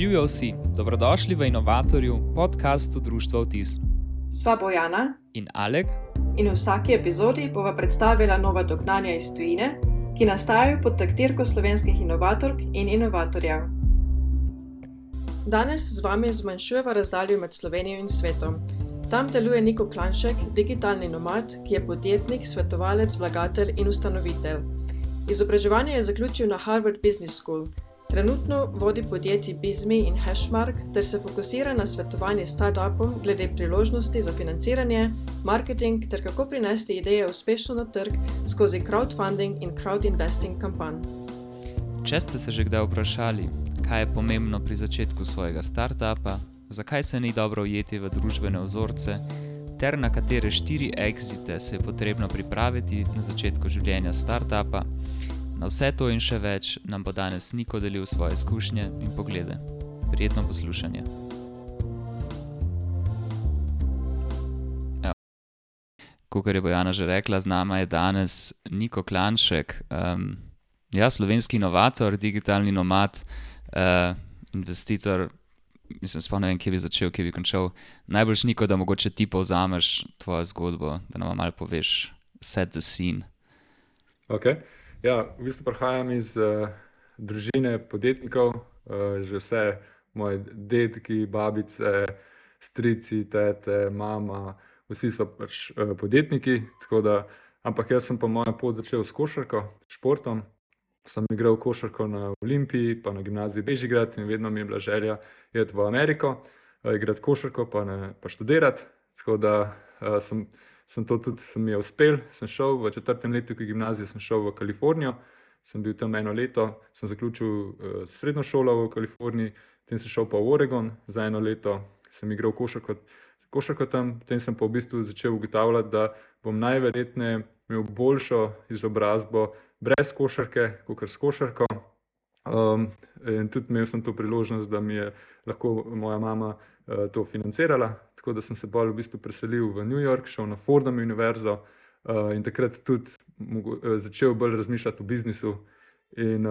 Živijo vsi, dobrodošli v Inovatorju, podcastu Društva Vtis. Sva Bojana In Alek. In v vsaki epizodi bova predstavila nova dognanja iz tujine, ki nastajajo pod taktirko slovenskih inovatork in inovatorjev. Danes z vami zmanjšujeva razdaljo med Slovenijo in svetom. Tam deluje Niko Klanšek, digitalni nomad, ki je podjetnik, svetovalec, vlagatelj in ustanovitelj. Izobraževanje je zaključil na Harvard Business School. Trenutno vodi podjetji Bizmi in Hashmark ter se fokusira na svetovanje startupom glede priložnosti za financiranje, marketing ter kako prinesti ideje uspešno na trg skozi crowdfunding in crowdinvesting kampanj. Če ste se že kdaj vprašali, kaj je pomembno pri začetku svojega startupa, zakaj se ni dobro ujeti v družbene vzorce, ter na katere 4 exite se je potrebno pripraviti na začetku življenja startupa, na vse to in še več nam bo danes Niko delil svoje izkušnje in poglede. Prijetno poslušanje. Kakor je Bojana že rekla, z nama je danes Niko Klanšek, slovenski inovator, digitalni nomad, investitor. Mislim, sploh ne vem, kje bi začel, kje bi končal. Najboljš, Niko, da mogoče ti povzameš tvojo zgodbo, da nam malo poveš, set the scene. Ok. Ja, v bistvu prihajam iz družine podjetnikov, že vse moji dedki, babice, strici, tete, mama, vsi so pač podjetniki, tako da, ampak jaz sem pa mojo pot začel s košarko, športom. Sem igral košarko na Olimpiji, pa na gimnaziji Bežigrad in vedno mi je bila želja iti v Ameriko, igrati košarko pa študirati, tako da sem to tudi mi je uspel. Sem šel v 4. letniku gimnazije, sem šel v Kalifornijo, sem bil tam 1 leto, sem zaključil srednjo šolo v Kaliforniji, potem sem šel pa v Oregon za 1 leto, sem igral košarko tam, potem sem pa v bistvu začel ugotavljati, da bom najverjetneje imel boljšo izobrazbo brez košarke, kakor s košarko. In tudi imel sem to priložnost, da mi je lahko moja mama to financirala, tako da sem se bolj v bistvu preselil v New York, šel na Fordham univerzo in takrat tudi začel bolj razmišljati o biznisu in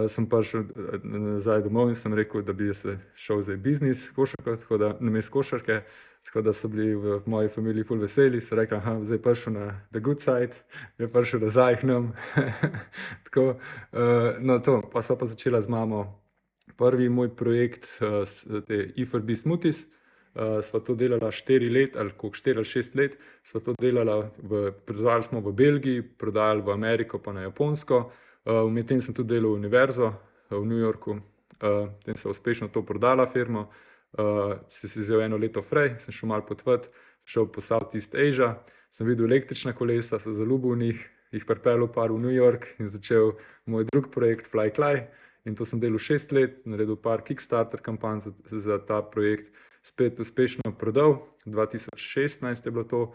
sem prišel nazaj domov in sem rekel, da bi se šel za biznis, košarko, tako da namesto košarke, tako da so bili v moji familiji ful veseli, so rekli, zdaj prišel na the good side, je prišel nazaj k nam. Tako, pa so pa začela z mamo prvi moj projekt, te E4B Smoothies. Sva to delala 4 let, ali 4 ali 6 let, sva to delala, prodajali smo v Belgiji, prodajali v Ameriko pa na Japonsko. Medtem sem tudi delal v univerzo v New Yorku, potem sem uspešno to prodala firmo, sem si vzel 1 leto fraj, sem šel malo potovati, sem šel po Southeast Asia, sem videl električna kolesa, sem zaljubil v njih, jih pripeljal par v New York in začel moj drug projekt FlyCly. In to sem delal 6 let, naredil par Kickstarter kampanj za ta projekt, spet uspešno prodal, 2016 je bilo to,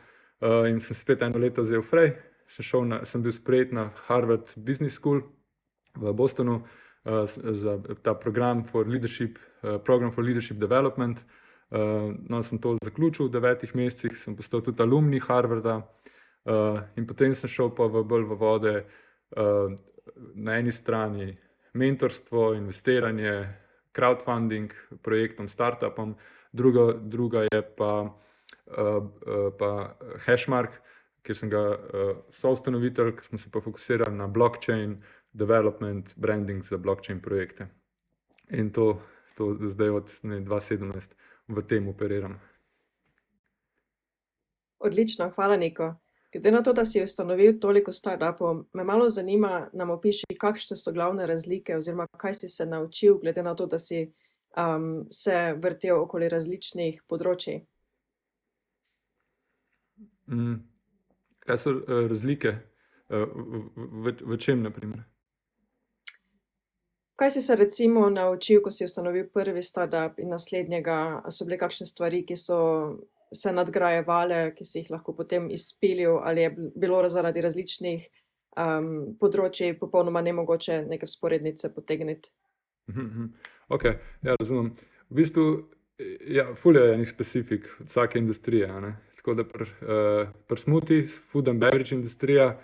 in sem spet 1 leto vzel fraj, sem bil sprejet na Harvard Business School v Bostonu za ta program for leadership development. Sem to zaključil v 9 mesecih, sem postal tudi alumni Harvarda in potem sem šel pa bolj v vode, na eni strani mentorstvo, investiranje, crowdfunding projektom, startupom, druga je pa Hashmark, kjer sem ga soustanovitelj, ki smo se pa fokusirali na blockchain development, branding za blockchain projekte. In to zdaj od 2017 v tem operiram. Odlično, hvala Niko. Glede na to, da si ustanovil toliko startupov, me malo zanima, nam opiši, kakšne so glavne razlike oziroma kaj si se naučil, glede na to, da si se vrtel okoli različnih področij. Kaj so razlike? V čem, na primer? Kaj si se recimo naučil, ko si ustanovil prvi startup in naslednjega? So bile kakšne stvari, ki so se nadgrajevale, ki si jih lahko potem izpilil, ali je bilo zaradi različnih področij popolnoma nemogoče neke vzporednice potegniti? Ok, ja, razumem. V bistvu, ful je enih specifik od vsake industrije, ne? Tako da pri smoothie, food and beverage industrija,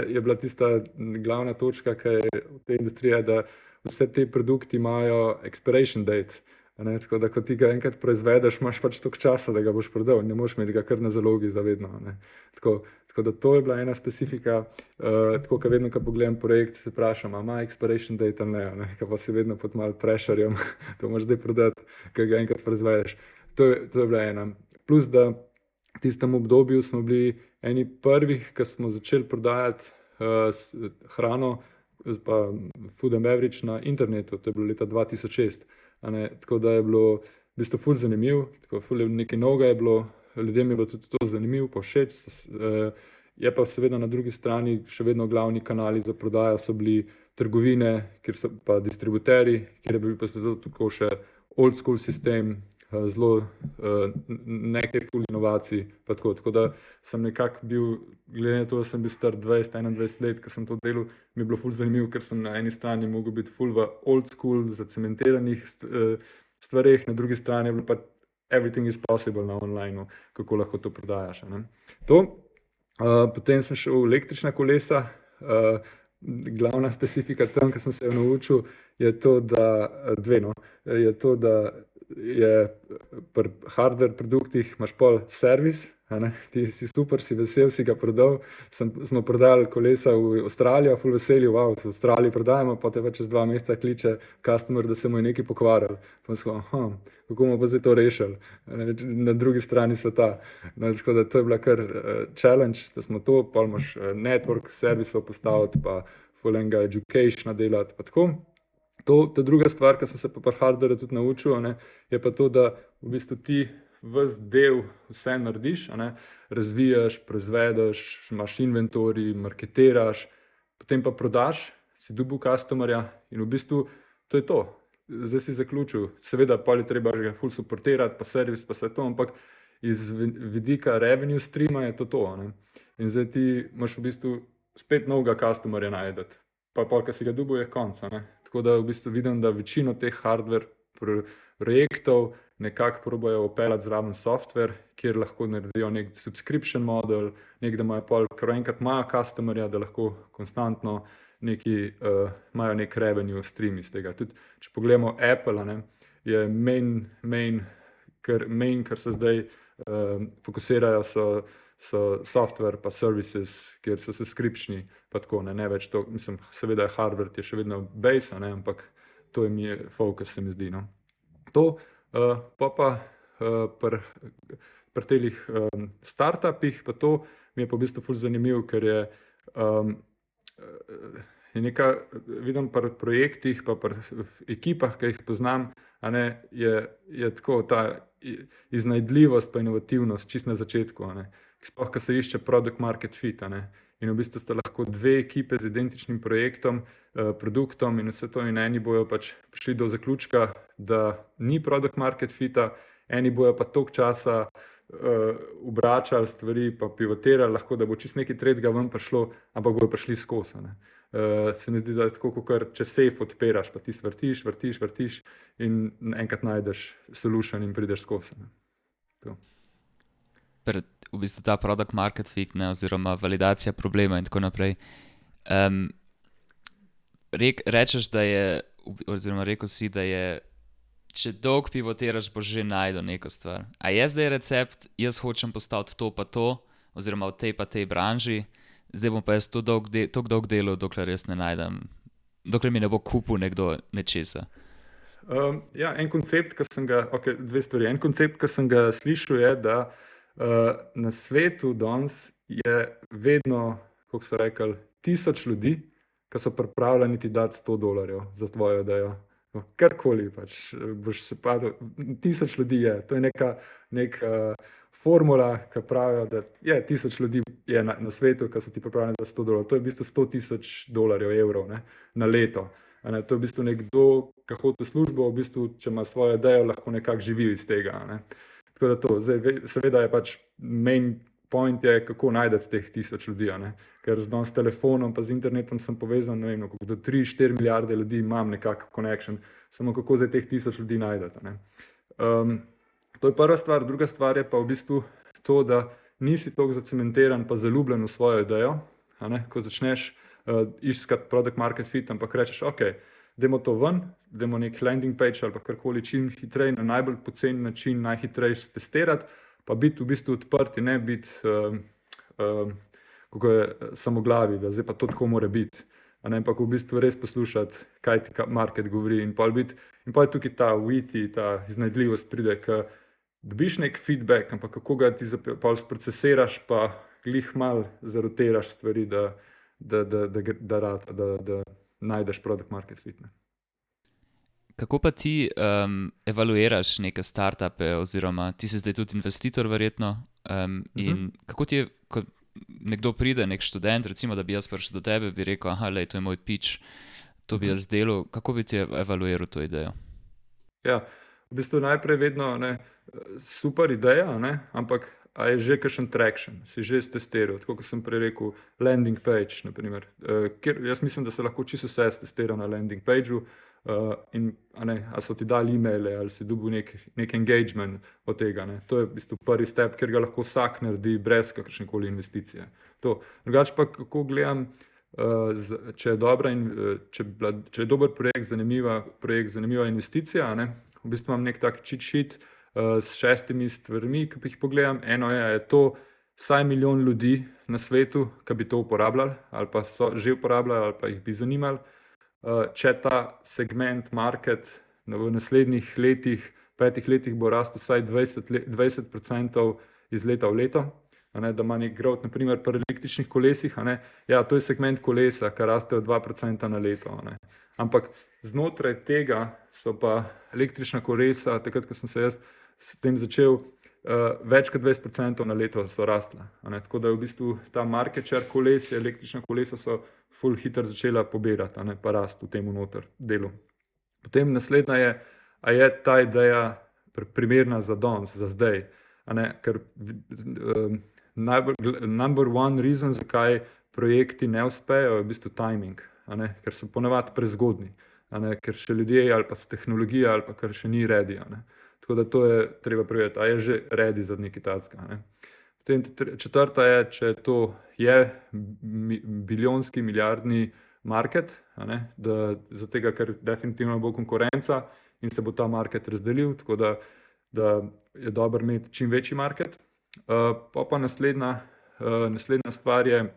je bila tista glavna točka, ki je v tej industriji, da vse te produkti imajo expiration date. Tako da, ko ti ga enkrat proizvedeš, imaš pač toliko časa, da ga boš prodal, ne moreš imeti ga kar na zalogi za vedno. Tako da to je bila ena specifika. Tako, ko vedno, ko pogledam projekt, se vprašam, ima expiration date ali ne, ker pa si vedno pod malo pressurejem, to moraš zdaj prodati, ker ga enkrat proizvedeš. To je bila ena. Plus, da v tistem obdobju smo bili eni prvih, ki smo začeli prodajati hrano, pa food and beverage na internetu, to je bilo leta 2006. Tako da je bilo v bistvu ful zanimiv, nekaj novega je bilo, ljudem je bilo tudi to zanimivo, pa všeč. Je pa seveda na drugi strani še vedno glavni kanali za prodajo so bili trgovine, kjer so pa distributeri, kjer je bil pa zato tako še old school sistem, zelo nekaj ful inovacij. Tako da sem nekako bil, glede na to, da sem bil star 20-21 let, ko sem to delal, mi je bilo ful zanimivo, ker sem na eni strani mogel biti ful v old school, zacementiranih stvareh, na drugi strani je bilo pa everything is possible na online, kako lahko to prodajaš. Potem sem šel v električna kolesa. Glavna specifika tam, ki sem se jo naučil, je to, da je pri hardware produktih imaš pol servis, ti si super, si vesel, si ga prodal. Smo prodali kolesa v Avstralijo, ful veseli, wow, v Avstraliji prodajamo, pa te pa čez 2 meseca kliče customer, da se mu je nekaj pokvaril. Pa smo, kako bomo pa zdaj to rešili na drugi strani sveta. Tako da to je bila kar challenge, da smo to, pol imaš network servisov postaviti, pa ful enega educationa delati, pa tako. Ta druga stvar, ki sem se pa pri hardwareu tudi naučil, je pa to, da v bistvu ti ves del vse narediš, razvijaš, proizvedeš, imaš inventorij, marketiraš, potem pa prodaš, si dobil customerja in v bistvu to je to. Zdaj si zaključil. Seveda pa je treba že ful supportirati, pa servis, pa vse to, ampak iz vidika revenue streama je to. In zdaj ti imaš v bistvu spet novega customerja najdeti. Pa ko si ga dobil, je konc. Tako da v bistvu vidim, da večino teh hardware projektov nekako probajo vpeljati zraven software, kjer lahko naredijo nek subscription model, da imajo pol, ker enkrat imajo customerja, da lahko konstantno imajo nek revenue stream iz tega. Tudi, če pogledamo Apple, je main, kar se zdaj fokusirajo, so software pa services, kjer so subscriptioni, pa tako, ne več to, mislim, seveda hardware je še vedno base, ampak to je mi fokus, se mi zdi. To, pa pri telih startupih, pa to mi je pa v bistvu ful zanimiv, ker je vidim pri projektih, pa pri ekipah, ki jih spoznam, je tako ta iznajdljivost pa inovativnost čist na začetku, sploh, ko se išče product market fit, in v bistvu sta lahko 2 ekipe z identičnim projektom, produktom in vse to, in eni bojo pač prišli do zaključka, da ni product market fita, eni bojo pa toliko časa obračali stvari, pa pivotirali, lahko da bo čist nekaj tretjega ven prišlo, ampak bojo prišli skozi. Se mi zdi, da je tako, kot če safe odpiraš, pa ti vrtiš in enkrat najdeš solution in prideš skozi. V bistvu ta product market fit, oziroma validacija problema in tako naprej. Rečeš, da je, oziroma rekel si, da je, če dolgo pivotiraš, boš že najdel neko stvar. A je zdaj recept, jaz hočem postaviti to pa to, oziroma v tej pa tej branži, zdaj bom pa jaz to dolgo delal, dokler jaz ne najdem, dokler mi ne bo kupil nekdo nečesa. Ja, en koncept, dve stvari. En koncept, ki sem ga slišal, je, da na svetu danes je vedno, kako so rekli, 1000 ljudi, ki so pripravljeni ti dati $100 za tvojo idejo. Karkoli pač, boš se padel, 1000 ljudi je. To je neka formula, ki pravijo, da je 1000 ljudi je na svetu, ki so ti pripravljeni dati $100. To je v bistvu $100,000, evrov, na leto. To je v bistvu nekdo, ki hodi v službo, v bistvu, če ima svojo idejo, lahko nekako živi iz tega. Tako da to, zdaj, seveda je pač main point je, kako najdete teh 1000 ljudi, ker z telefonom pa z internetom sem povezan, ne vem, do 3-4 milijarde ljudi imam nekako connection, samo kako zdaj teh 1000 ljudi najdete. To je prva stvar. Druga stvar je pa v bistvu to, da nisi toliko zacementiran pa zaljubljen v svojo idejo, ko začneš iskati product market fit, ampak rečeš, ok, dajmo to ven, dajmo nek landing page ali pa karkoli čim hitreje, na najbolj poceni način, najhitreje testirati, pa biti v bistvu odprti, ne biti kako je samoglavi, da zdaj pa to tako mora biti. Ampak v bistvu res poslušati, kaj ti market govori in pol je tukaj ta withy, ta iznajdljivost pride, ko dobiš nek feedback, ampak kako ga ti pol sprocesiraš, pa glih mal zarotiraš stvari, da najdeš product market fit. Ne. Kako pa ti evaluiraš neke startupe, oziroma ti si zdaj tudi investitor verjetno, in kako ti je, ko nekdo pride, nek študent, recimo, da bi jaz prišel do tebe, bi rekel, aha, lej, to je moj pitch, to bi jaz delal, kako bi ti evaluiral to idejo? Ja, v bistvu najprej vedno super ideja, ampak a je že kakšen traction, si že stestiral, tako kot sem prej rekel, landing page, naprimer. Jaz mislim, da se lahko čisto vse stestira na landing pageu, in a so ti dali e-maile ali si dobil nek engagement od tega. To je v bistvu prvi step, ker ga lahko vsak naredi brez kakršnekoli investicije. Drugače pa, kako gledam, če je dobra in če je dober projekt, zanimiva investicija, v bistvu imam nek tak cheat sheet s 6 stvarmi, ki jih pogledam. Eno je to vsaj 1 milijon ljudi na svetu, ki bi to uporabljali ali pa so že uporabljali ali pa jih bi zanimali. Če ta segment market v naslednjih letih, 5 letih bo rastel vsaj 20% iz leta v leto, da ima nek growth, naprimer pri električnih kolesih, ja, to je segment kolesa, ki rastejo 2% na leto. Ampak znotraj tega so pa električna kolesa, takrat, ko sem se jaz s tem začel, več kot 20% na leto so rastla. Tako da je v bistvu ta market share koles, električna kolesa so ful hitro začela pobirati, pa rast v tem noter delu. Potem naslednja je, a je ta ideja primerna za danes, za zdaj. Ker number one reason, zakaj projekti ne uspejo, je v bistvu timing, ker so ponavadi prezgodni, ker še ljudje ali pa tehnologija ali pa kar še ni ready. Tako da to je treba preveriti, a je že ready za nekaj takega. Potem četrta je, če to je biljonski, milijardni market, zato ker definitivno bo konkurenca in se bo ta market razdelil, tako da je dobro imeti čim večji market. Pa naslednja stvar je,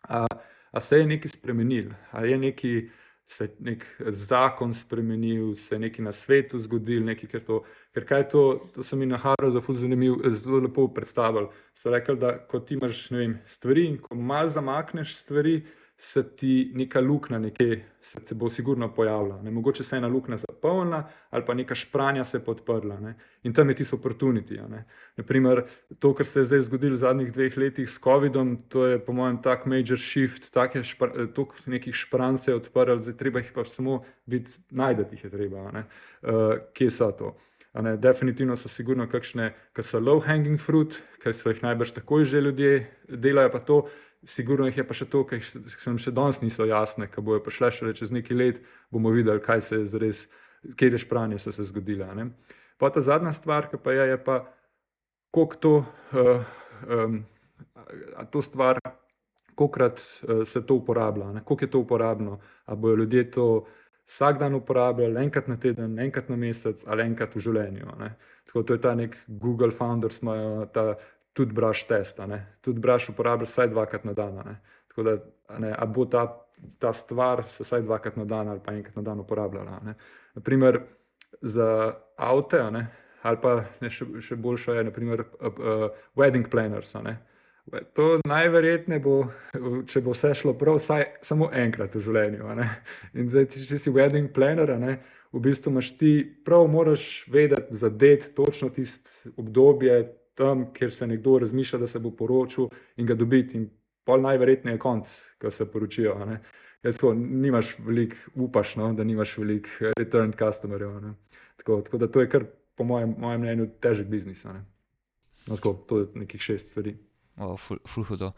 a se je nekaj spremenil, a je se nek zakon spremenil, se je nekaj na svetu zgodil, ker kaj je to so mi na Harvardu ful zanimivo, zelo lepo predstavili. So rekli, da ko ti imaš, stvari in ko malo zamakneš stvari, se ti neka luknja nekje, se bo sigurno pojavila. Mogoče se ena luknja zapolnila ali pa neka špranja se podprla. In tam je tisto opportunity. Naprimer, to, kar se je zdaj zgodilo v zadnjih 2 letih s covidom, to je po mojem tak major shift, toliko nekih špranj se je odprlo, zdaj treba jih pa samo najdeti jih je treba. Kje so to? Definitivno so sigurno kakšne, ki so low hanging fruit, ker so jih najbrž takoj že ljudje delajo pa to. Sigurno jih je pa še to, ki nam še danes niso jasne, ki bojo prišle šele čez nekaj let, bomo videli, kaj se je zares, kjer špranje so se zgodile. Pa ta zadnja stvar, ki pa je pa, koliko to stvar, kolikrat se to uporablja, koliko je to uporabno, a bojo ljudje to vsak dan uporabljali, enkrat na teden, enkrat na mesec ali enkrat v življenju. Tako to je ta nek Google Founders, imajo ta toothbrush test, toothbrush uporablja vsaj 2krat na dan, tako da, a bo ta stvar se vsaj 2krat na dan ali pa enkrat na dan uporabljala. Naprimer, za avte, ali pa še boljša je, naprimer, wedding planners, To najverjetneje bo, če bo vse šlo prav, vsaj samo enkrat v življenju. In zdaj, če si wedding planner, v bistvu imaš ti prav, moraš vedeti, zadeti točno tisto obdobje tam, kjer se nekdo razmišlja, da se bo poročil in ga dobiti. In pol najverjetneje je konc, ko se poročijo. Tako, nimaš veliko, upaš, da nimaš veliko return customerjev. Tako da to je kar, po mojem mnenju, težek biznis. Tako, to je nekih 6 stvari. Ful hudo.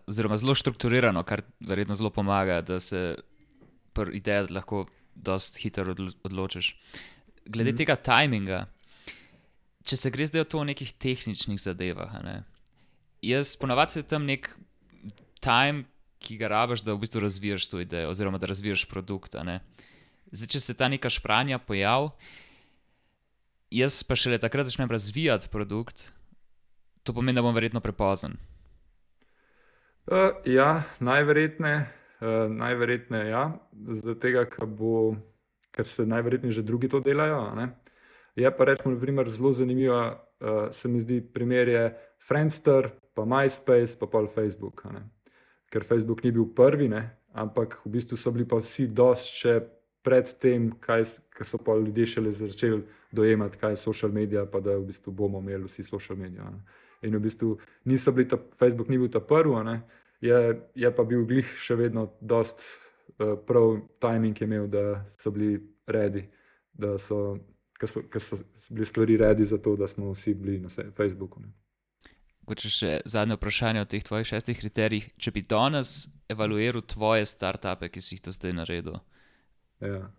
Oziroma zelo strukturirano, kar verjetno zelo pomaga, da se pri idejah lahko dosti hitro odločiš. Glede tega timinga, če se gre zdaj o nekih tehničnih zadevah, jaz ponavadi se tam nek time ki ga rabiš, da v bistvu razvijaš to idejo oziroma da razvijaš produkt. Zdaj, če se ta neka špranja pojavi, jaz pa šele takrat začnem razvijati produkt, to pomeni, da bom verjetno prepozen. Ja, najverjetneje ja, zaradi tega, ker se najverjetneje že drugi to delajo. Je pa recimo, na primer, zelo zanimivo, se mi zdi, primer je Friendster, pa MySpace, pa pol Facebook. Ker Facebook ni bil prvi, ampak v bistvu so bili pa vsi dosti še pred tem, ko so pa ljudje šele začeli dojemati, kaj je social media, pa da v bistvu bomo imeli vsi social media. In v bistvu Facebook ni bil ta prvi, je pa bil glih še vedno dosti prav timing je imel, da so bili ready, ker so bili stvari ready za to, da smo vsi bili na Facebooku. Če še zadnje vprašanje o teh tvojih 6 kriterijih. Če bi danes evaluiral tvoje startupe, ki si jih do zdaj naredil,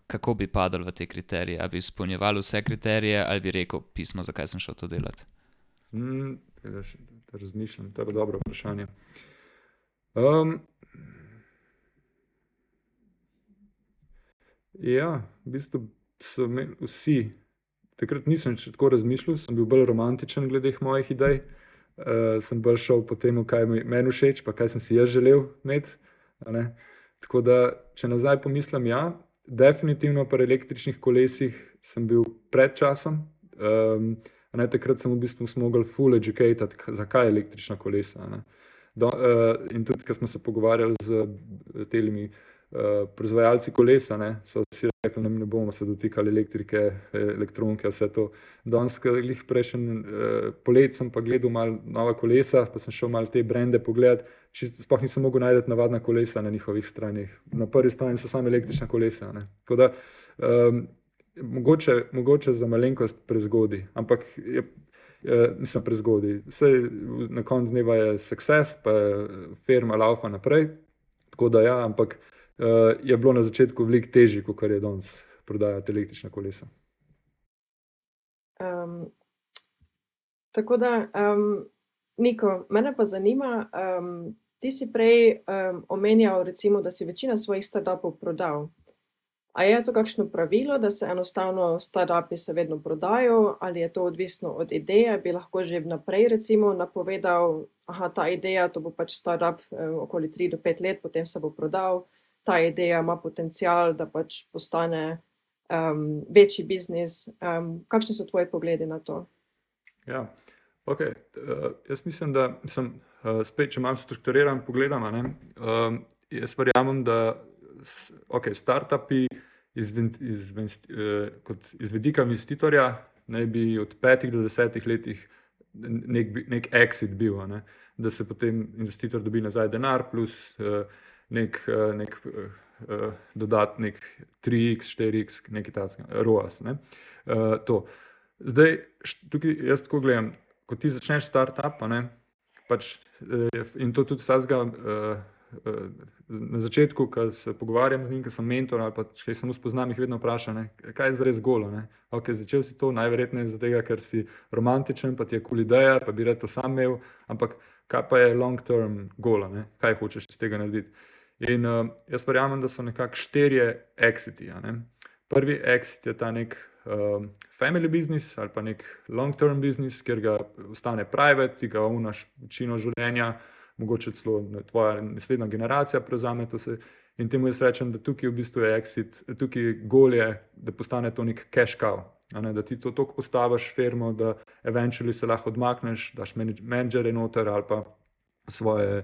kako bi padal v te kriterije? Ali bi izpolnjeval vse kriterije, ali bi rekel pismo, zakaj sem šel to delati? Razmišljam, to je dobro vprašanje. Ja, v bistvu so imeli vsi, takrat nisem še tako razmišljal, sem bil bolj romantičen glede mojih idej. Sem bolj šel po tem, kaj meni všeč, pa kaj sem si jaz želel imeti. Tako da, če nazaj pomislim, ja, definitivno pri električnih kolesih sem bil pred časom. Takrat sem v bistvu mogel full educatati, zakaj električna kolesa. In tudi, ko smo se pogovarjali z temi proizvajalci kolesa, so vsi rekli, ne bomo se dotikali elektrike, elektronike, vse to. Danes, prejšnji polet sem pa gledal malo nova kolesa, pa sem šel malo te brende pogledati, sploh nisem mogel najti navadna kolesa na njihovih stranih. Na prvi strani so samo električna kolesa. Tako da, mogoče za malenkost prezgodaj, ampak nisem prezgodaj. Saj na koncu dneva je success, pa firma laufa naprej, tako da ja, ampak je bilo na začetku veliko težje, kot je danes prodajati električna kolesa. Tako da, Niko, mene pa zanima, ti si prej omenjal, recimo, da si večina svojih startupov prodal. A je to kakšno pravilo, da se enostavno startupi se vedno prodajo, ali je to odvisno od ideje? Bi lahko že vnaprej recimo napovedal, ta ideja, to bo pač startup okoli 3 do 5 let, potem se bo prodal, ta ideja ima potencial, da pač postane večji biznis. Kakšni so tvoji pogledi na to? Ja, ok. Jaz mislim, da spet, če malo strukturiran pogledam, jaz verjamem, da startupi kot iz vidika investitorja naj bi od 5 do 10 letih nek exit bil, da se potem investitor dobi nazaj denar plus nek dodatnik 3x, 4x, nekaj takega, ROAS. To. Zdaj, tukaj jaz tako gledam, ko ti začneš startup, pač, in to tudi vsega na začetku, ko se pogovarjam z njim, ko sem mentor ali pa če samo spoznam, jih vedno vprašam, kaj je zares golo. Začel si to najverjetneje zato, ker si romantičen, pa ti je cool ideja, pa bi rad to sam imel, ampak kaj pa je long term goal, kaj hočeš iz tega narediti. In jaz verjamem, da so nekako 4 exiti. Prvi exit je ta nek family business ali pa nek long term business, kjer ga ostane private, ti ga unaš večino življenja, mogoče celo tvoja naslednja generacija prevzame to se. In temu jaz rečem, da tukaj v bistvu je exit, tukaj goal je, da postane to nek cash cow. Da ti to toliko postaviš firmo, da eventually se lahko odmakneš, daš menedžerje noter ali pa svoje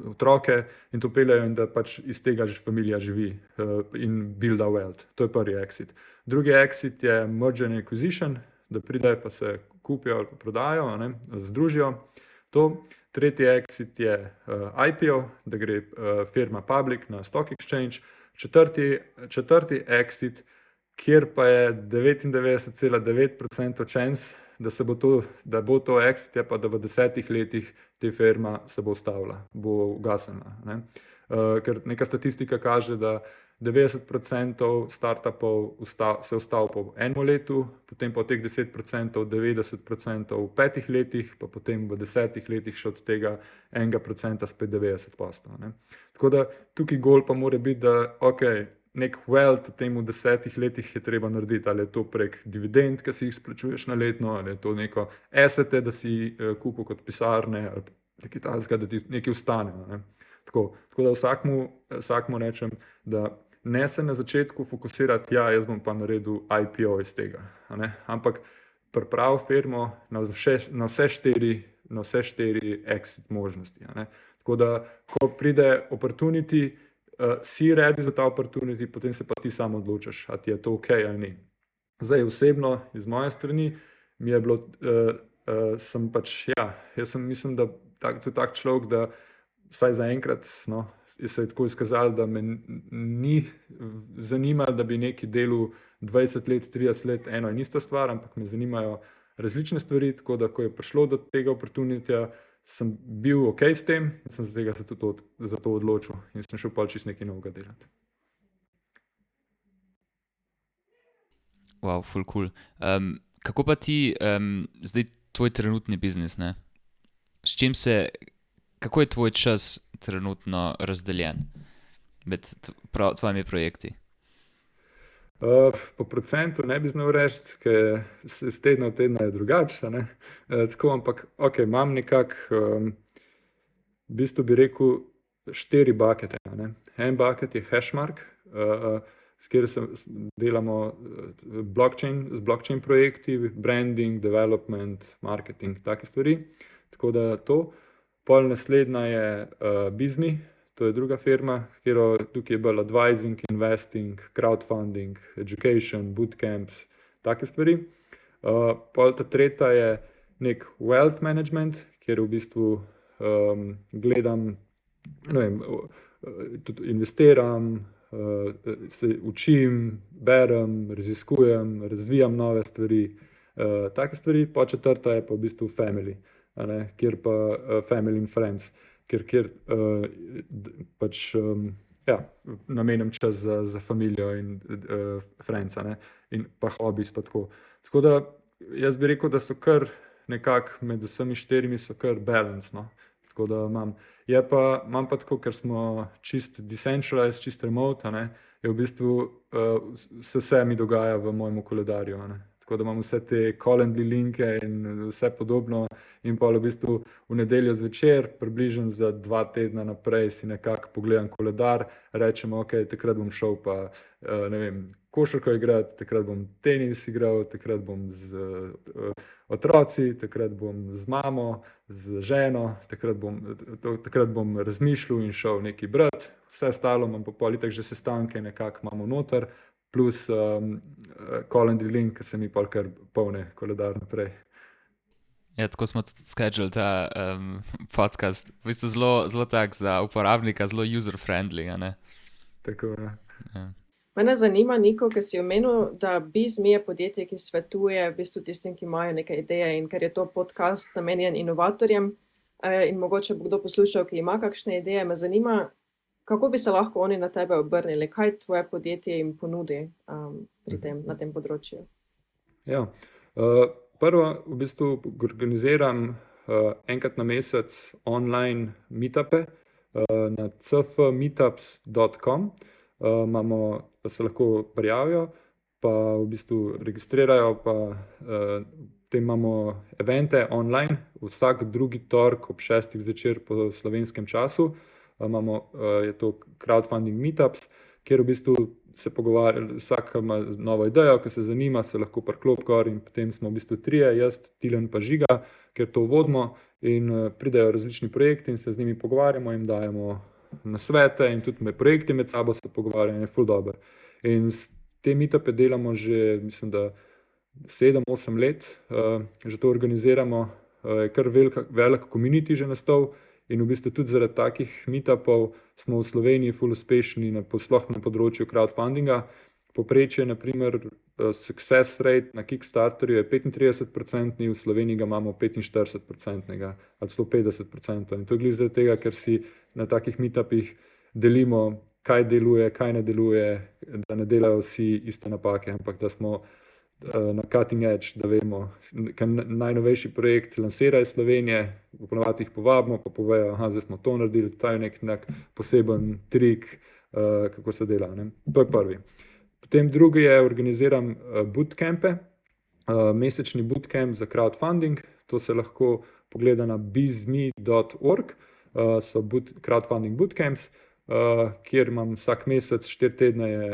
otroke in to peljejo in da pač iz tega familija živi in builda wealth. To je prvi exit. Drugi exit je merger and acquisition, da pridejo pa se kupijo ali pa prodajo, združijo. To. Tretji exit je IPO, da gre firma public na stock exchange. Četrti exit, kjer pa je 99,9% chance, da bo to exit, je pa da v 10 letih te firma se bo ustavila, bo ugasnila. ker neka statistika kaže, da 90% startupov se ustavi po enem letu, potem pa od teh 10% 90% v 5 letih, pa potem v 10 letih še od tega 1% spet 90%. Ne. Tako da tukaj gol pa mora biti, da nek wealth v tem v 10 letih je treba narediti, ali je to prek dividend, ki si jih splačuješ na letno, ali je to neko assete, da si kupil kot pisarne, ali nekaj takega, da ti nekaj ostane. Ne. Tako da vsakmu rečem, da ne se na začetku fokusirati, jaz bom pa naredil IPO iz tega, ampak pripravi firmo na vse štiri exit možnosti. Tako da, ko pride opportunity, si ready za ta opportunity, potem se pa ti sam odločiš, a ti je to ok ali ni. Zdaj osebno, iz moje strani, mi je bilo, mislim, da tudi tak človek, da vsaj zaenkrat, se je tako izkazalo, da me ni zanimalo, da bi nekaj delal 20 let, 30 let, eno in ista stvar, ampak me zanimajo različne stvari, tako da, ko je prišlo do tega opportunityja, sem bil ok s tem in sem se za to odločil in sem šel pač čist nekaj novega delati. Wow, ful cool. Kako pa ti, zdaj tvoj trenutni biznis, ne? Kako je tvoj čas trenutno razdeljen med tvojimi projekti? Po procentu ne bi znal reči, ker z tedna v tedna je drugače, tako, ampak imam nekako, v bistvu bi rekel 4 buckete. En bucket je Hashmark, s katerim delamo z blockchain projekti, branding, development, marketing, take stvari, tako da to. Pol naslednja je Bizmi, to je druga firma, tukaj je bolj advising, investing, crowdfunding, education, bootcamps, take stvari. Pol ta tretja je nek wealth management, kjer v bistvu gledam, tudi investiram, se učim, berem, raziskujem, razvijam nove stvari, take stvari. Pa četrta je pa v bistvu family, kjer pa family and friends, kjer pač namenim čas za familijo in friends, in pa hobbies pa tako. Tako da jaz bi rekel, da so kar nekako med vsemi 4 so kar balance, tako da imam pa tako, ker smo čist decentralized, čist remote, je v bistvu vse mi dogaja v mojem koledarju, tako da imam vse te calendly linke in vse podobno in pa v bistvu v nedeljo zvečer, približno za 2 tedna naprej si nekako pogledam koledar, rečem, takrat bom šel pa, košarko igrati, takrat bom tenis igral, takrat bom z otroci, takrat bom z mamo, z ženo, takrat bom razmišljal in šel nekaj brati, vse ostalo imam pa pol itak že sestanke nekako imamo noter, plus calendar link, ki se mi pol kar polne koledar naprej. Ja, tako smo tudi schedule ta podcast, v bistvu zelo tak za uporabnika, zelo user-friendly, Tako, Ja. Mene zanima, Niko, ker si omenil, da Bizmi je podjetje, ki svetuje v bistvu tistim, ki imajo neke ideje, in ker je to podcast namenjen inovatorjem, in mogoče bo kdo poslušal, ki ima kakšne ideje, me zanima, kako bi se lahko oni na tebe obrnili, kaj tvoje podjetje jim ponudi na tem področju? Ja, prvo v bistvu organiziram enkrat na mesec online meetupe na cfmeetups.com. Se lahko prijavijo, pa v bistvu registrirajo, pa potem imamo evente online, vsak drugi torek ob 6 zvečer po slovenskem času. Je to crowdfunding meetups, kjer v bistvu se pogovarja, vsak ima novo idejo, ki se zanima, se lahko priklop gor in potem smo v bistvu 3, jaz, Tilen pa Žiga, kjer to vodimo in pridejo različni projekti in se z njimi pogovarjamo, jim dajemo nasvete in tudi projekti med sabo se pogovarjajo, je ful dobro. In te meetupe delamo že, mislim, da 7-8 let, že to organiziramo, je kar velik community že nastal in v bistvu tudi zaradi takih meetupov smo v Sloveniji ful uspešni, sploh na področju crowdfundinga. Povprečje, na primer, success rate na Kickstarterju je 35%, v Sloveniji ga imamo 45% ali 150%. In to je glih zaradi tega, ker si na takih meetupih delimo, kaj deluje, kaj ne deluje, da ne delajo vsi iste napake, ampak da smo na cutting edge, da vemo, ker najnovejši projekt lansira iz Slovenije, ponovadi jih povabimo, pa povejo, aha, zdaj smo to naredili, to je nek poseben trik, kako se dela, ne. To je prvi. Potem drugi je, organiziram bootcampe, mesečni bootcamp za crowdfunding, to se lahko pogleda na bizme.org, so crowdfunding bootcamps, kjer imam vsak mesec 4 tedne je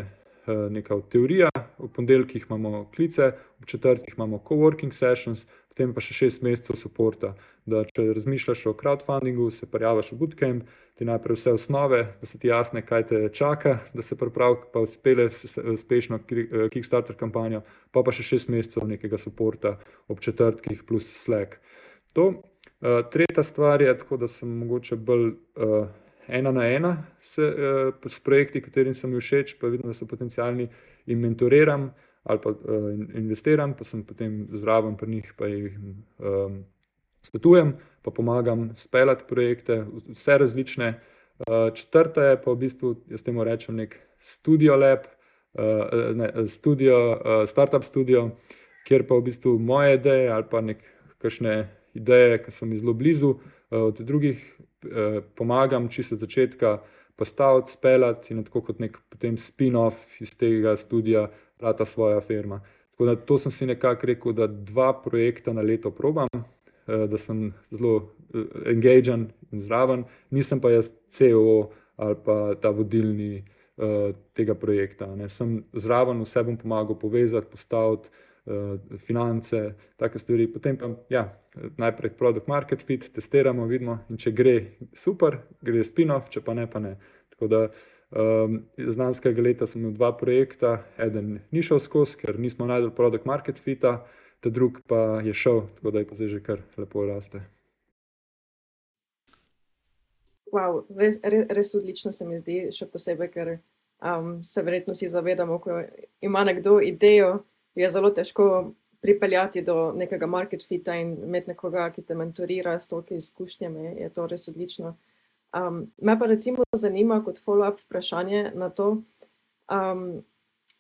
neka teorija, v ponedeljkih imamo klice, v četrtih imamo coworking sessions, potem pa še 6 mesecev supporta, da če razmišljaš o crowdfundingu, se prijaviš v bootcamp, ti najprej vse osnove, da se ti jasne, kaj te čaka, da se pripravi, pa uspele uspešno Kickstarter kampanjo, pa še 6 mesecev nekega supporta ob četrtkih plus Slack. To. Tretja stvar je tako, da sem mogoče bolj ena na ena s projekti, katerim sem mi všeč, pa vidim, da so potencialni, in mentoriram ali pa investiram, pa sem potem zraven pri njih, pa jih svetujem, pa pomagam speljati projekte, vse različne. Četrta je pa v bistvu, jaz temu rečem nek studio lab, startup studio, kjer pa v bistvu moje ideje ali pa kakšne ideje, ki so mi zelo blizu, od drugih pomagam čisto od začetka postaviti, speljati in tako kot nek potem spin-off iz tega studija rata svoja firma. Tako da to sem si nekako rekel, da 2 projekta na leto probam, da sem zelo engagen in zraven, nisem pa jaz CEO ali pa ta vodilni tega projekta, ne. Sem zraven, vse bom pomagal povezati, postaviti, finance, take stvari, potem pa najprej product market fit, testiramo, vidimo, in če gre, super, gre spin-off, če pa ne, pa ne. Tako da z lanskega leta sem imel 2 projekta, eden ni šel skozi, ker nismo našli product market fita, ta drug pa je šel, tako da je pa zdaj že kar lepo raste. Wow, res odlično se mi zdi, še posebej, ker se verjetno vsi zavedamo, ko ima nekdo idejo, je zelo težko pripeljati do nekega market fita in imeti nekoga, ki te mentorira s toliko izkušnjami, je to res odlično. Me pa recimo zanima kot follow-up vprašanje na to,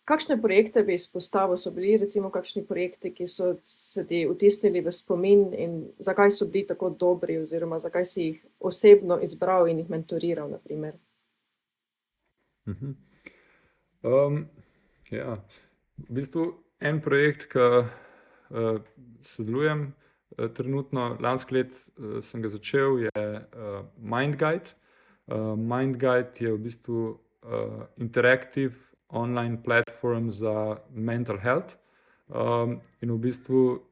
kakšne projekte bi izpostavil, so bili recimo kakšni projekti, ki so se ti vtisnili v spomin in zakaj so bili tako dobri oziroma zakaj si jih osebno izbral in jih mentoriral, na primer? V bistvu en projekt, ki sodelujem trenutno, lansko leto sem ga začel, je MindGuide. MindGuide je v bistvu interactive online platform za mental health. In v bistvu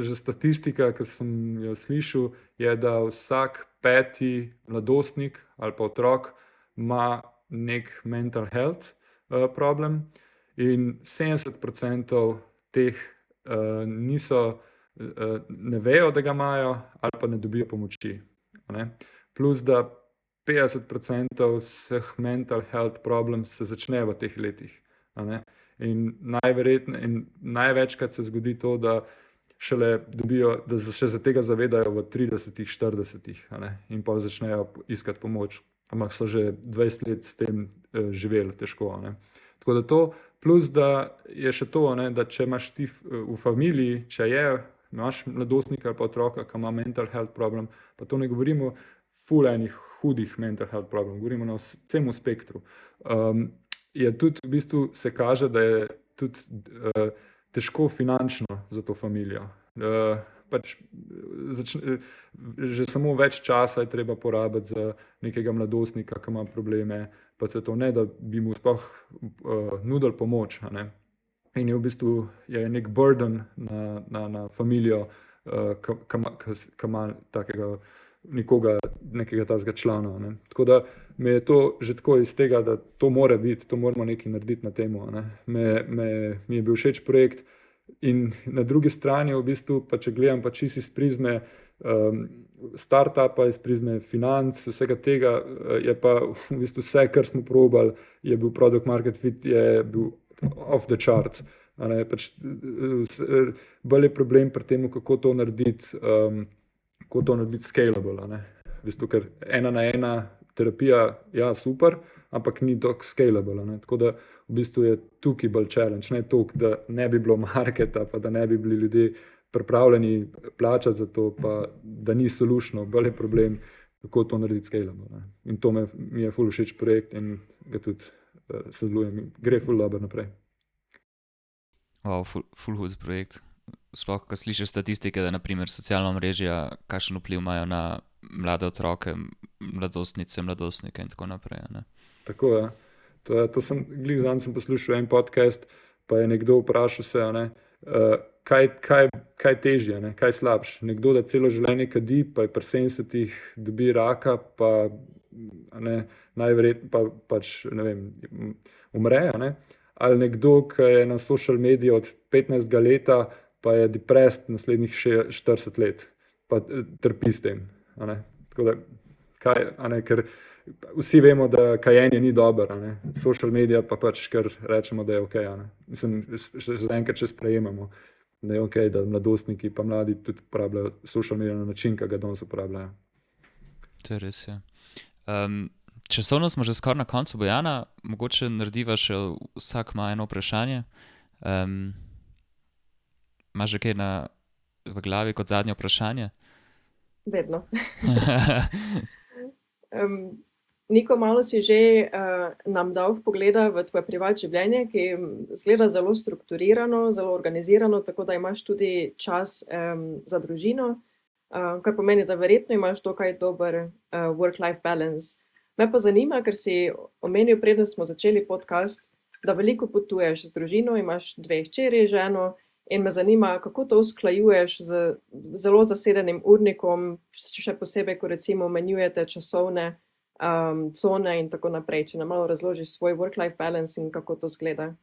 že statistika, ki sem jo slišal, je, da vsak 5. mladostnik ali pa otrok ima nek mental health problem in 70% teh ne vejo, da ga imajo ali pa ne dobijo pomoči, ne. Plus da 50% vseh mental health problems se začne v teh letih, a ne. In največkrat se zgodi to, da šele dobijo, da še za tega zavedajo v 30, 40, a ne, in pol začnejo iskati pomoč, ampak so že 20 let s tem živeli težko, a ne. Tako da to, plus da je še to, ne, da če imaš ti v familiji, če imaš mladostnika ali pa otroka, ki ima mental health problem, pa to ne govorimo ful enih hudih mental health problem, govorimo na celem spektru, je tudi v bistvu se kaže, da je tudi težko finančno za to familijo. Pač že samo več časa je treba porabiti za nekega mladostnika, ki ima probleme, pa se to ne, da bi mu sploh nudili pomoč, a ne. In je v bistvu nek burden na familijo, ki ima takega nekega takega člana, a ne. Tako da me je to že tako iz tega, da to mora biti, to moramo nekaj narediti na tem, a ne. Mi je bil všeč projekt in na drugi strani v bistvu, pa če gledam pa čisto iz prizme startupa, iz prizme financ, vsega tega, je pa v bistvu vse, kar smo probali, je bil product market fit, je bil off the chart, a ne. Pač bolj je problem pri tem, kako to narediti scalable, a ne. V bistvu, ker ena na ena terapija, ja, super, ampak ni tako scalable. Ne? Tako da v bistvu je tukaj bolj challenge, ne toliko, da ne bi bilo marketa, pa da ne bi bili ljudje pripravljeni plačati za to, pa da ni solušno, bolj je problem, kako to narediti scalable. Ne? In to mi je ful všeč projekt in ga tudi sodelujem, gre ful dobro naprej. Wow, ful hud projekt. Sploh, ko slišiš statistike, da naprimer socialna mrežja, kakšen vpliv imajo na mlade otroke, mladostnice, mladostnike in tako naprej. Ne? Tako je. To sem, glih zadnjič sem poslušal en podcast, pa je nekdo vprašal se, kaj težje, ne? Kaj slabš. Nekdo, da celo življenje kadi, pa je pri 70 dobi raka, pa najverjetneje pač, ne vem, umre, ne? Ali nekdo, ki je na social mediji od 15 leta, pa je depressed naslednjih 40 let, pa trpi s tem. Tako da, ker vsi vemo, da kajenje ni dobro, social medija pa pač kar rečemo, da je ok. Mislim, zaenkrat še sprejemamo, da je ok, da mladostniki pa mladi tudi uporabljajo social medija na način, ki ga danes uporabljajo. To je res, ja. Časovno smo že skoraj na koncu, Bojana, mogoče narediva še vsak ima eno vprašanje. Imaš že kaj v glavi kot zadnje vprašanje? Vedno. Niko, malo si že nam dal vpogleda v tvoje privat življenje, ki zgleda zelo strukturirano, zelo organizirano, tako da imaš tudi čas za družino, kar pomeni, da verjetno imaš dokaj dober work-life balance. Me pa zanima, ker si omenil, preden smo začeli podcast, da veliko potuješ z družino, imaš 2 hčeri, ženo, in me zanima, kako to usklajuješ z zelo zasedenim urnikom, še posebej, ko recimo menjujete časovne cone in tako naprej. Če nam malo razložiš svoj work-life balance in kako to zgleda.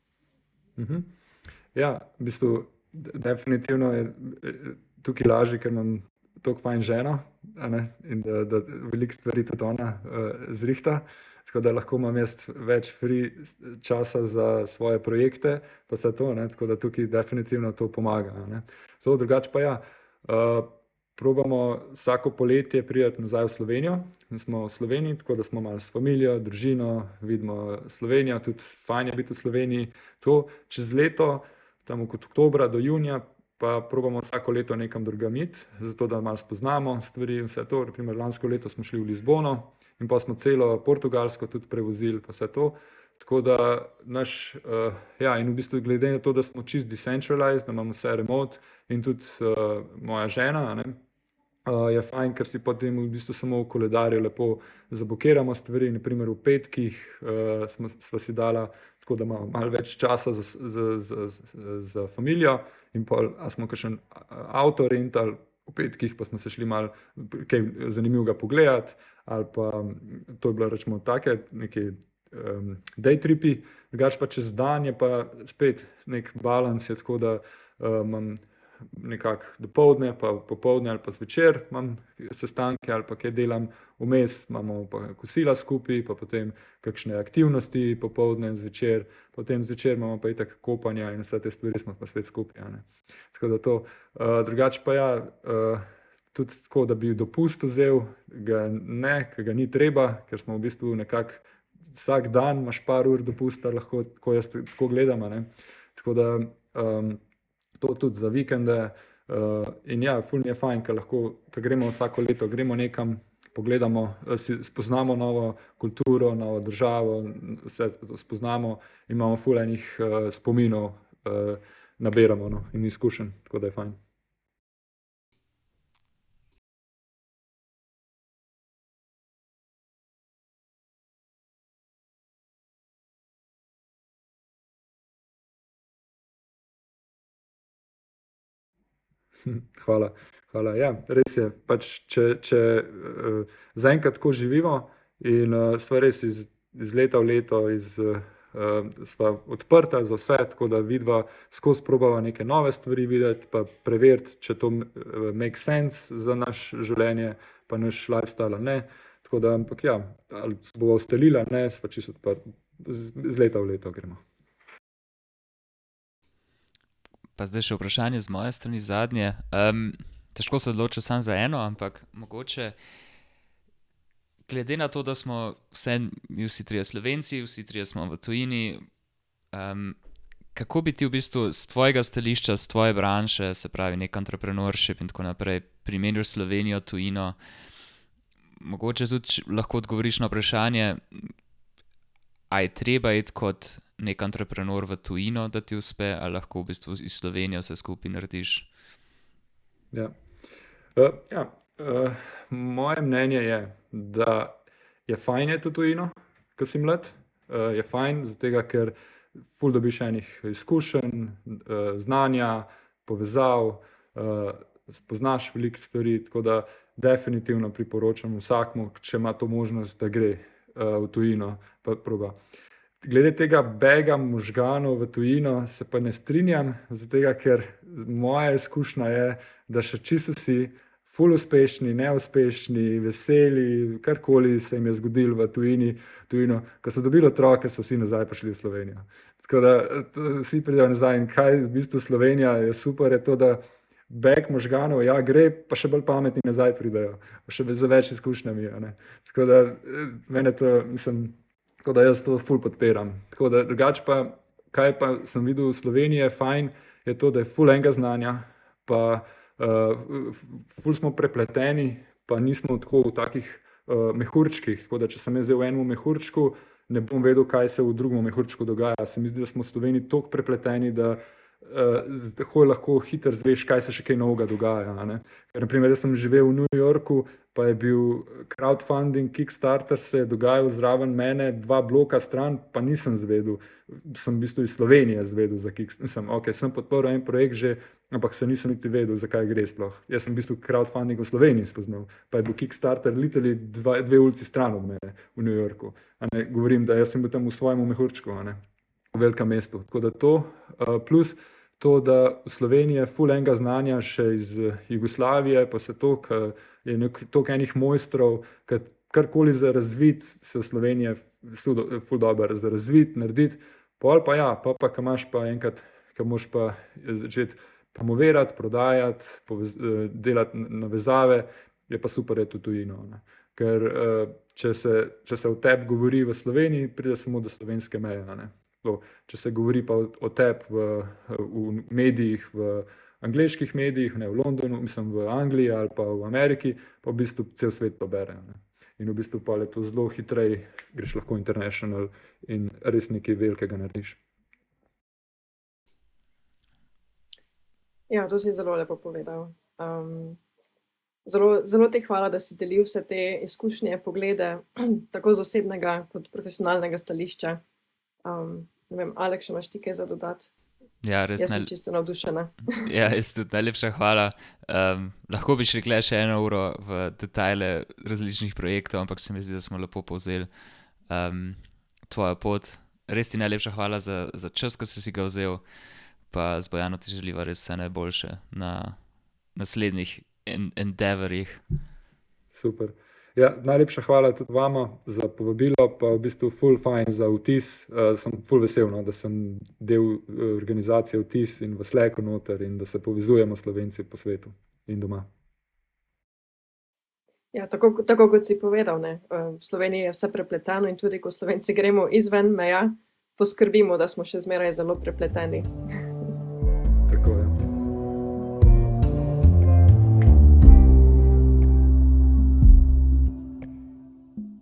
Ja, v bistvu definitivno je tukaj lažje, ker imam toliko fajn ženo, in da veliko stvari tudi ona zrihta, tako da lahko imam jaz več free časa za svoje projekte, pa vse to, tako da tukaj definitivno to pomaga. Zelo drugače pa ja, probamo vsako poletje priti nazaj v Slovenijo in smo v Sloveniji, tako da smo malo s familijo, družino, vidimo Slovenijo, tudi fajn je biti v Sloveniji. To čez leto, tam od oktobra do junija, pa probamo vsako leto nekam drugam iti, zato da malo spoznamo stvari in vse to. Naprimer, lansko leto smo šli v Lizbono in pa smo celo Portugalsko tudi prevozili, pa vse to. Tako da in v bistvu glede na to, da smo čist decentralized, da imamo vse remote in tudi moja žena, je fajn, ker si potem v bistvu samo v koledarju lepo zablokiramo stvari. Naprimer v petkih sva si dala, tako da imamo malo več časa za familijo in pol, a smo kakšen avto rentali, v petkih pa smo se šli malo kaj zanimivega pogledati, ali pa to je bilo, rečemo, take neki day tripi, drugače pa čez dan je pa spet nek balans, je tako, da imam nekako dopoldne, pa popoldne ali pa zvečer imam sestanke ali pa kaj delam, vmes imamo pa kosila skupaj, pa potem kakšne aktivnosti popoldne in zvečer, potem zvečer imamo pa itak kopanja in vse te stvari smo pa spet skupaj. Tako da to, drugače pa ja, tudi tako, da bi dopust vzel, ker ga ni treba, ker smo v bistvu nekako vsak dan imaš par ur dopusta, lahko tako jaz tako gledam, tako da to tudi za vikende in ja, ful mi je fajn, ker lahko, ker gremo vsako leto, gremo nekam, pogledamo, spoznamo novo kulturo, novo državo, vse spoznamo in imamo ful enih spominov, nabiramo in izkušenj, tako da je fajn. Hvala. Ja, res je, pač če zaenkrat tako živimo in sva res iz leta v leto sva odprta za vse, tako da vidva skozi probava neke nove stvari videti, pa preveriti, če to make sense za naš življenje, pa naš lifestyle, ne. Tako da, ampak ja, ali se bova ustalila, ne, sva čisto odprta. Z leta v leto gremo. Pa zdaj še vprašanje z moje strani zadnje. Težko se odločiti samo za eno, ampak mogoče, glede na to, da smo vsi trije Slovenci, vsi trije smo v tujini, kako bi ti v bistvu z tvojega stališča, z tvoje branše, se pravi nek entrepreneurship in tako naprej, primerjal Slovenijo, tujino, mogoče tudi lahko odgovoriš na vprašanje, a je treba iti kot nek entrepreneur v tujino, da ti uspe, ali lahko v bistvu iz Slovenije vse skupaj narediš? Ja. Moje mnenje je, da je fajn iti v tujino, ko si mlad. Je fajn, zato ker ful dobiš enih izkušenj, znanja, povezav, spoznaš veliko stvari, tako da definitivno priporočam vsakmu, če ima to možnost, da gre v tujino, pa proba. Glede tega bega možganov v tujino se pa ne strinjam, zato ker moja izkušnja je, da še čisto vsi ful uspešni, neuspešni, veseli, karkoli se jim je zgodilo v tujino, ko so dobili otroke, so vsi nazaj prišli v Slovenijo. Tako da vsi pridejo nazaj in kaj v bistvu Slovenija je super, je to, da beg možganov, ja, gre, pa še bolj pametni nazaj pridejo, pa še z več izkušnjami. Tako da mene to, tako da jaz to ful podpiram. Tako da drugače pa, kaj pa sem videl v Sloveniji je fajn, je to, da je ful enega znanja, pa ful smo prepleteni, pa nismo tako v takih mehurčkih, tako da če sem jaz v enem mehurčku, ne bom vedel, kaj se v drugem mehurčku dogaja. Se mi zdi, da smo v Sloveniji toliko prepleteni, da lahko hitro zveš, kaj se še kaj novega dogaja. Ker, na primer, jaz sem živel v New Yorku, pa je bil crowdfunding, Kickstarter se je dogajal zraven mene, 2 bloka stran, pa nisem zvedel. Sem v bistvu iz Slovenije zvedel za Kickstarter. Sem podporil en projekt že, ampak se nisem niti vedel, zakaj gre sploh. Jaz sem v bistvu crowdfunding v Sloveniji spoznal, pa je bil Kickstarter literally 2 ulici stran od mene v New Yorku. Govorim, da jaz sem bil tam v svojem mehurčku, v velikem mestu. Tako da to, plus to, da v Sloveniji je ful enega znanja še iz Jugoslavije, pa se je toliko enih mojstrov, karkoli za razvit, se v Sloveniji je ful dober za razvit, narediti. Pol pa ja, pa ko imaš pa enkrat, ko moraš pa začeti promovirati, prodajati, delati navezave, je pa super iti v tujino. Ker če se o tebi govori v Sloveniji, pride samo do slovenske meje. Če se govori pa o tebi v medijih, v angleških medijih, v Londonu, mislim v Angliji ali pa v Ameriki, pa v bistvu cel svet to bere. In v bistvu pa je to zelo hitrej, greš lahko international in res nekaj velikega narediš. Ja, to si zelo lepo povedal. Zelo ti hvala, da si delil vse te izkušnje, poglede, tako z osebnega kot profesionalnega stališča. Ne vem, Aleks, imaš ti kaj za dodati? Ja, res Jaz sem čisto navdušena. Ja, res tudi najlepša hvala. Lahko bi še rekla še 1 uro v detajle različnih projektov, ampak se mi zdi, da smo lepo povzeli tvojo pot. Res ti najlepša hvala za čas, ko si ga vzel, pa z Bojano ti želiva res vse najboljše na naslednjih endeavorjih. Super. Ja, najlepša hvala tudi vama za povabilo, pa v bistvu ful fajn za vtis. Sem ful vesel, da sem del organizacije Vtis in v Slacku noter in da se povezujemo Slovenci po svetu in doma. Ja, tako kot si povedal, v Sloveniji je vse prepleteno in tudi ko Slovenci gremo izven meja, poskrbimo, da smo še zmeraj zelo prepleteni.